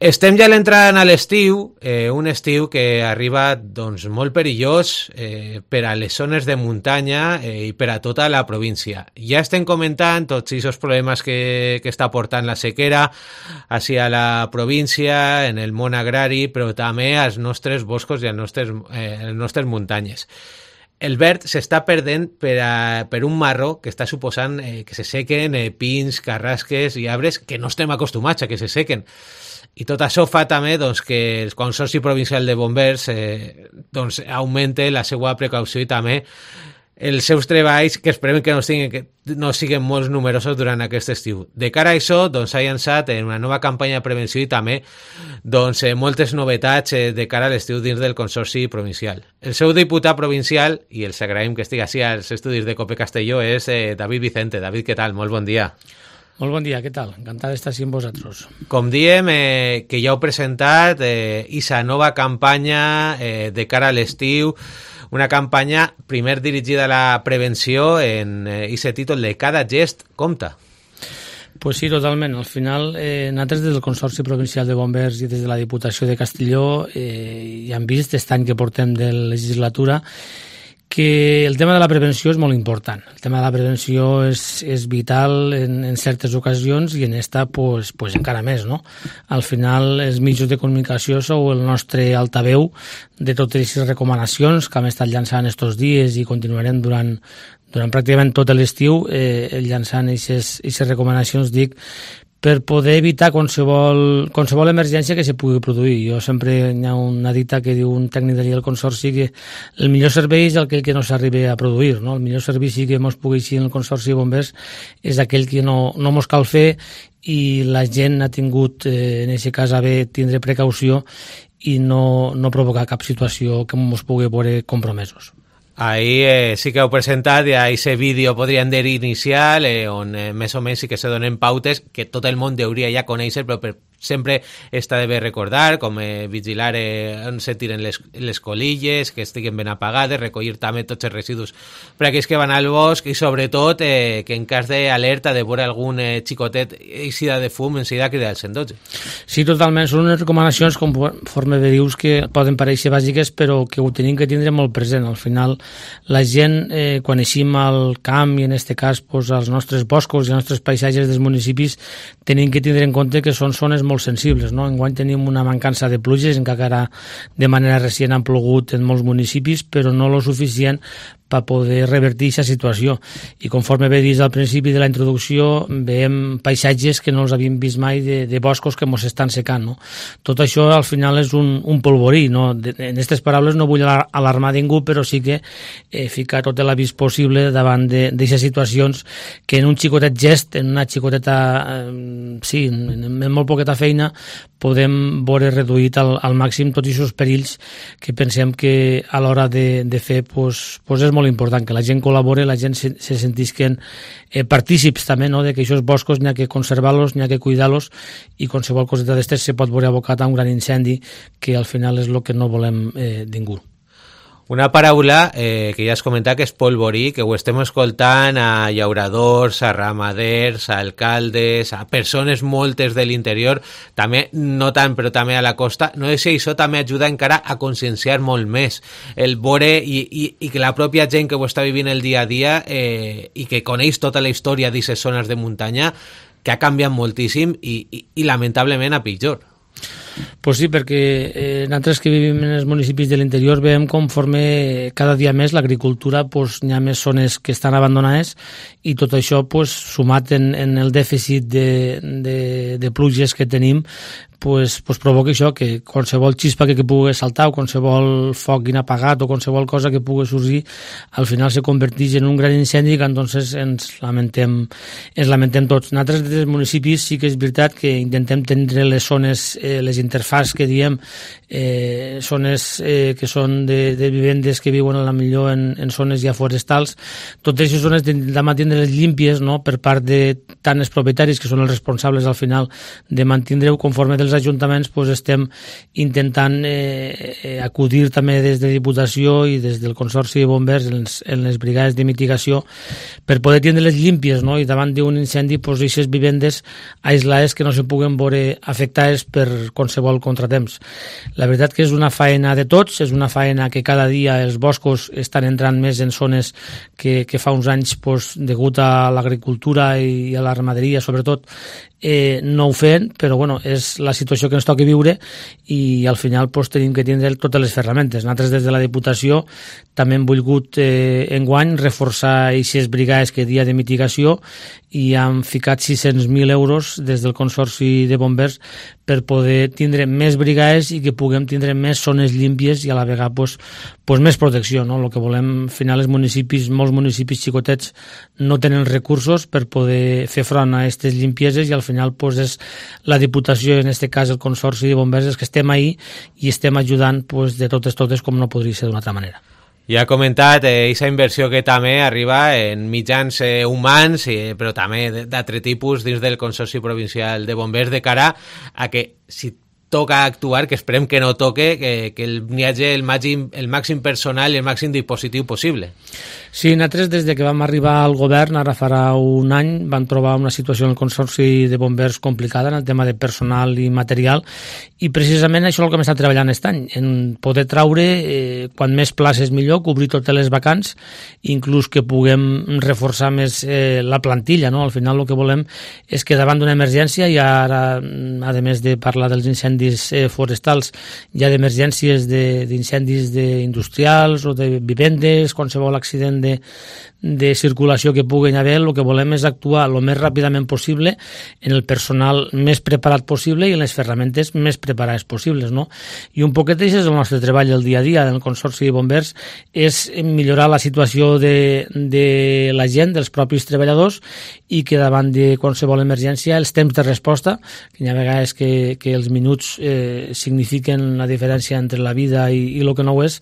Estem ja entrant a l'estiu, un estiu que arriba doncs, molt perillós per a les zones de muntanya i per a tota la província. Ja estem comentant tots aquests problemes que està portant la sequera hacia la província, en el món agrari, però també als nostres boscos i a les nostres muntanyes. El verd s'està perdent per un marro que està suposant que se sequen pins, carrasques i arbres que no estem acostumats a que se sequen. I tot això fa també doncs, que el Consorci Provincial de Bombers doncs, augmente la seva precaució i també els seus treballs, que esperem que no siguin molt numerosos durant aquest estiu. De cara a això, doncs, s'ha llançat una nova campanya de prevenció i també doncs, moltes novetats de cara a l'estiu dins del Consorci Provincial. El seu diputat provincial, i els agraïm que estigui així als estudis de COPE Castelló, és David Vicente. David, què tal? Molt bon dia. Molt bon dia, què tal? Encantat d'estar així amb vosaltres. Com diem, que ja heu presentat aquesta nova campanya de cara a l'estiu, una campanya primer dirigida a la prevenció en aquest títol de Cada gest compta. Pues sí, totalment. Al final, nosaltres des del Consorci Provincial de Bombers i des de la Diputació de Castelló ja hem vist aquest any que portem de legislatura que el tema de la prevenció és molt important. El tema de la prevenció és vital en certes ocasions i en esta pues encara més, no? Al final, els mitjans de comunicació sou el nostre altaveu de totes aquestes recomanacions que hem estat llançant estos dies i continuarem durant pràcticament tot l'estiu llançant aquestes recomanacions, dic, per poder evitar qualsevol emergència que se pugui produir. Jo sempre hi ha una dita que diu un tècnic d'allà del Consorci que el millor servei és aquell que no s'arribi a produir, no? El millor servici que ens pugui així en el Consorci de Bombers és aquell que no ens cal fer i la gent ha tingut, en aquest cas, a bé tindre precaució i no provocar cap situació que ens pugui veure compromesos. Ahí sí que heu presentat ja aquest vídeo, podríem dir, inicial, on més o menys sí que se donen pautes que tot el món hauria ja conèixer, però sempre està de bé recordar, com vigilar on se tiren les colilles, que estiguen ben apagades, recollir també tots els residus per aquells que van al bosc i sobretot que en cas d'alerta de veure algun xicotet eixida de fum, enseguida cridar el 112. Sí, totalment. Són unes recomanacions, conforme dius, que poden parèixer bàsiques, però que ho tenim que tindre molt present. Al final, la gent, quan eixim al camp i en aquest cas als nostres boscos i als nostres paisatges dels municipis, tenim que tindre en compte que són zones molt sensibles, no? Enguany tenim una mancança de pluges, encara de manera recent han plogut en molts municipis, però no lo suficient per poder revertir aquesta situació. I conforme bé dit al principi de la introducció, veiem paisatges que no els havíem vist mai de boscos que ens estan secant, no? Tot això al final és un polvorí, no? En aquestes paraules no vull alarmar ningú, però sí que ficar tot l'avís possible davant d'aquestes situacions que en un xicotet gest, en una xicoteta, sí, en molt poqueta feina, podem veure reduït al màxim tots aquests perills que pensem que a l'hora de fer és molt important, que la gent col·labore, la gent se sentisquen partícips també, no? De que aquests boscos n'hi ha que conservar-los, n'hi ha que cuidar-los i qualsevol coseta d'estes se pot veure abocat a un gran incendi que al final és el que no volem ningú. Una paraula que ja has comentat que és polvorí, que ho estem escoltant a llauradors, a ramaders, a alcaldes, a persones moltes de l'interior, també, no tant, però també a la costa. No sé si això també ajuda encara a conscienciar molt més el veure i que la pròpia gent que ho està vivint el dia a dia i que coneix tota la història d'aquestes zones de muntanya, que ha canviat moltíssim i lamentablement a pitjor. Pues sí, perquè nosaltres que vivim en els municipis de l'interior veiem conforme cada dia més l'agricultura n'hi ha més zones que estan abandonades i tot això sumat en el dèficit de pluges que tenim provoca això, que qualsevol xispa que pugui saltar o qualsevol foc inapagat o qualsevol cosa que pugui sorgir al final se converteix en un gran incendi que entonces ens lamentem tots. Nosaltres des dels municipis sí que és veritat que intentem tenir les zones, les interfaces que diem, zones que són de vivendes que viuen a la millor en zones ja forestals. Totes aquestes zones de mantenir-les límpies, no? Per part de tant els propietaris, que són els responsables al final de mantenir-ho conforme dels els ajuntaments estem intentant acudir també des de Diputació i des del Consorci de Bombers en les brigades de mitigació per poder tindre-les límpies, no? I davant d'un incendi aquestes vivendes aislades que no se puguen veure afectades per qualsevol contratemps. La veritat que és una faena de tots, és una faena que cada dia els boscos estan entrant més en zones que fa uns anys, degut a l'agricultura i a la ramaderia, sobretot, no ho feien, però és la situació que ens toca viure i al final tenim que tindre totes les ferramentes. Nosaltres des de la Diputació també hem volgut enguany reforçar aquestes brigades que dia de mitigació i hem ficat 600.000 euros des del Consorci de Bombers per poder tindre més brigades i que puguem tindre més zones límpies i a la vegada més protecció, no? El que volem, al final, molts municipis xicotets no tenen recursos per poder fer front a aquestes limpieses i al final és la Diputació, en aquest cas el Consorci de Bombers, els que estem ahí i estem ajudant de totes com no podria ser d'una altra manera. Ja ha comentat aquesta inversió que també arriba en mitjans humans, però també d'altre tipus dins del Consorci Provincial de Bombers, de cara a que si toca actuar, que esperem que no toque, que n'hi hagi el màxim personal i el màxim dispositiu possible. Sí, nosaltres des que vam arribar al govern, ara farà un any, vam trobar una situació en el Consorci de Bombers complicada en el tema de personal i material i precisament això és el que hem estat treballant aquest any, en poder traure quan més places millor, cobrir totes les vacants, inclús que puguem reforçar més la plantilla, no? Al final el que volem és que davant d'una emergència, i ara, a més de parlar dels incendis forestals, hi ha d'emergències d'incendis industrials o de vivendes, qualsevol accident de circulació que puguin haver, el que volem és actuar el més ràpidament possible en el personal més preparat possible i en les ferramentes més preparades possibles, no? I un poquet això és el nostre treball el dia a dia del Consorci de Bombers, és millorar la situació de la gent, dels propis treballadors, i que davant de qualsevol emergència els temps de resposta, que hi ha vegades que els minuts signifiquen la diferència entre la vida i el que no ho és,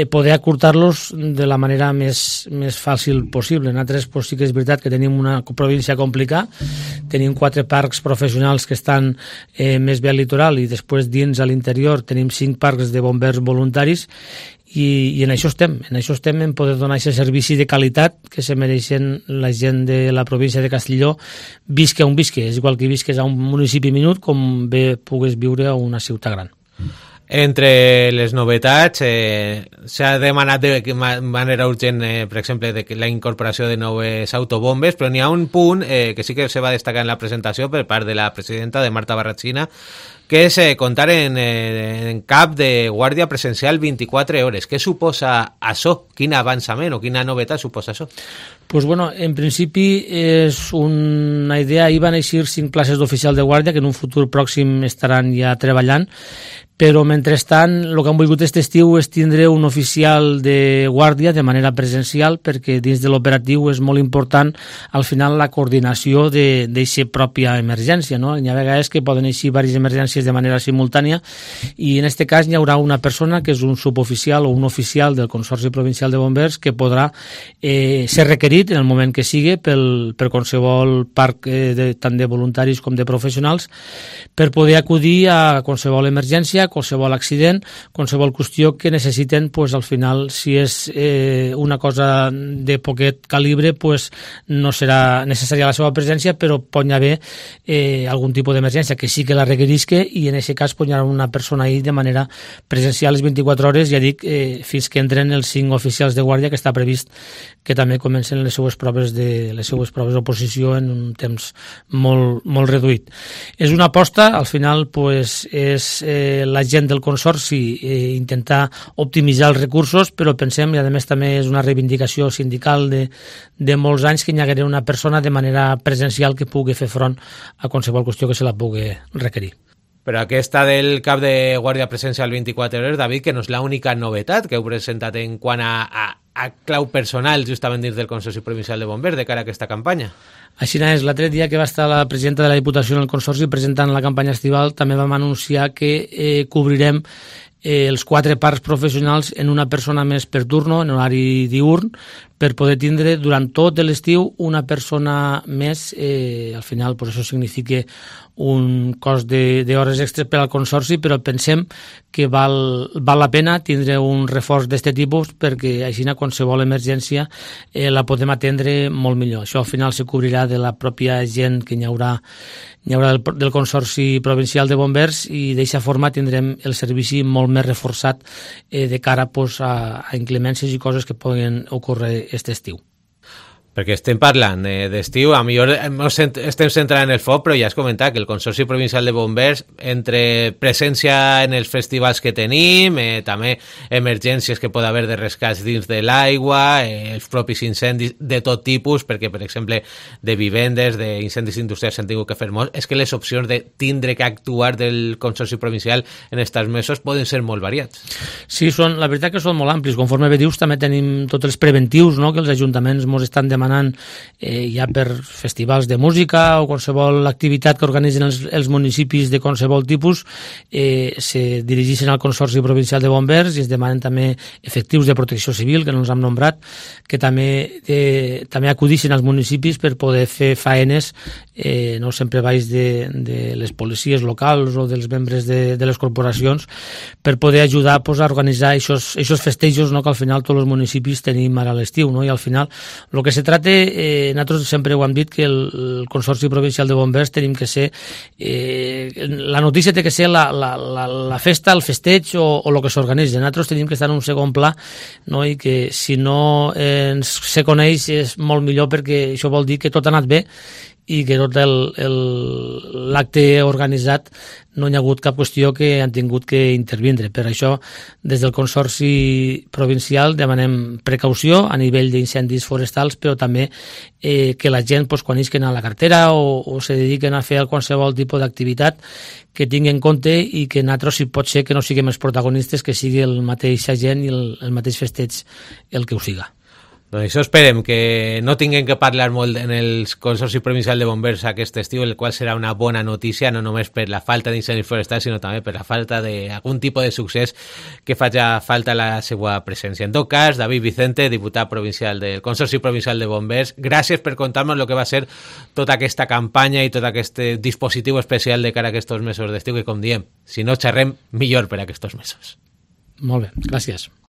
poder acurtar-los de la manera més fàcil possible. Nosaltres sí que és veritat que tenim una província complicada, tenim 4 parcs professionals que estan més bé al litoral i després dins a l'interior tenim 5 parcs de bombers voluntaris i en això estem en poder donar aquest servici de qualitat que se mereixen la gent de la província de Castelló, visca on visca, és igual que visques a un municipi minut com bé pugues viure a una ciutat gran. Entre les novetats, s'ha demanat de manera urgent, per exemple, la incorporació de noves autobombes, però n'hi ha un punt que sí que se va destacar en la presentació per part de la presidenta, de Marta Barratxina, que és comptar en cap de guàrdia presencial 24 hores. Què suposa això? Quin avançament o quina novetat suposa això? Pues bueno, en principi és una idea. Hi van eixir 5 places d'oficial de guàrdia que en un futur pròxim estaran ja treballant, però mentrestant el que han volgut aquest estiu és tindre un oficial de guàrdia de manera presencial, perquè dins de l'operatiu és molt important al final la coordinació d'aquesta pròpia emergència, no? Hi ha vegades que poden eixir diverses emergències de manera simultània i en aquest cas hi haurà una persona que és un suboficial o un oficial del Consorci Provincial de Bombers que podrà ser requerit en el moment que sigui per qualsevol parc tant de voluntaris com de professionals per poder acudir a qualsevol emergència, qualsevol accident, qualsevol qüestió que necessiten, pues, al final, si és una cosa de poquet calibre, pues, no serà necessària la seva presència, però pot haver algun tipus d'emergència que sí que la requerisca i en aquest cas pot haver una persona ahí de manera presencial les 24 hores, ja dic, fins que entren els 5 oficials de guàrdia que està previst que també comencen les seues proves d'oposició en un temps molt, molt reduït. És una aposta, al final, pues, és la gent del Consorci intentar optimitzar els recursos, però pensem, i a més també és una reivindicació sindical de molts anys, que hi hagués una persona de manera presencial que pugui fer front a qualsevol qüestió que se la pugui requerir. Però aquesta del cap de guàrdia presencial 24 hores, David, que no és l'única novetat que heu presentat en quant a clau personal justament dins del Consorci Provincial de Bombers de cara a aquesta campanya. Així és, l'altre dia que va estar la presidenta de la Diputació en el Consorci presentant la campanya estival, també vam anunciar que cobrirem els 4 parcs professionals en una persona més per turno, en horari diurn, per poder tindre durant tot l'estiu una persona més. Al final, pues, això significa un cost d'hores extres per al consorci, però pensem que val la pena tindre un reforç d'aquest tipus, perquè així qualsevol emergència la podem atendre molt millor. Això al final se cobrirà de la pròpia gent que n'hi haurà del Consorci Provincial de Bombers, i d'aquesta forma tindrem el servici molt més reforçat de cara a inclemències i coses que poden ocórrer aquest estiu. Perquè estem parlant d'estiu, a millor estem centrant en el foc, però ja has comentat que el Consorci Provincial de Bombers, entre presència en els festivals que tenim, també emergències que pot haver de rescats dins de l'aigua, els propis incendis de tot tipus, perquè, per exemple, de vivendes, d'incendis industrials s'han tingut que fer molts, és que les opcions de tindre que actuar del Consorci Provincial en aquests mesos poden ser molt variats. Sí, la veritat que són molt amplis. Conforme bé dius, també tenim tots els preventius, no?, que els ajuntaments ens estan demanant ja per festivals de música o qualsevol activitat que organitzen els municipis de qualsevol tipus, se dirigeixen al Consorci Provincial de Bombers i es demanen també efectius de protecció civil, que no ens hem nombrat, que també acudixen als municipis per poder fer faenes, no sempre baix de les policies locals o dels membres de les corporacions, per poder ajudar a organitzar aquests festejos, no?, que al final tots els municipis tenim ara a l'estiu, no? I al final el que se tracta, nosaltres sempre ho hem dit, que el Consorci Provincial de Bombers tenim que ser, la notícia té que ser la festa, el festeig o el que s'organitza. Nosaltres tenim que estar en un segon pla, no? I que si no se coneix és molt millor, perquè això vol dir que tot ha anat bé i que tot l'acte organitzat no hi ha hagut cap qüestió que han tingut que intervindre. Per això, des del Consorci Provincial demanem precaució a nivell d'incendis forestals, però també que la gent, quan isquen a la cartera o se dediquen a fer qualsevol tipus d'activitat, que tingui en compte, i que nosaltres, si pot ser, que no siguem els protagonistes, que sigui el mateix agent i el mateix festeig el que ho siga. Doncs això esperem, que no tinguem que parlar molt en el Consorci Provincial de Bombers aquest estiu, el qual serà una bona notícia, no només per la falta d'incendis forestals, sinó també per la falta d'algun tipus de succés que faci falta la seva presència. En tot cas, David Vicente, diputat provincial del Consorci Provincial de Bombers, gràcies per contar-nos el que va ser tota aquesta campanya i tot aquest dispositiu especial de cara a aquests mesos d'estiu, que, com diem, si no xerrem, millor per a aquests mesos. Molt bé, gràcies.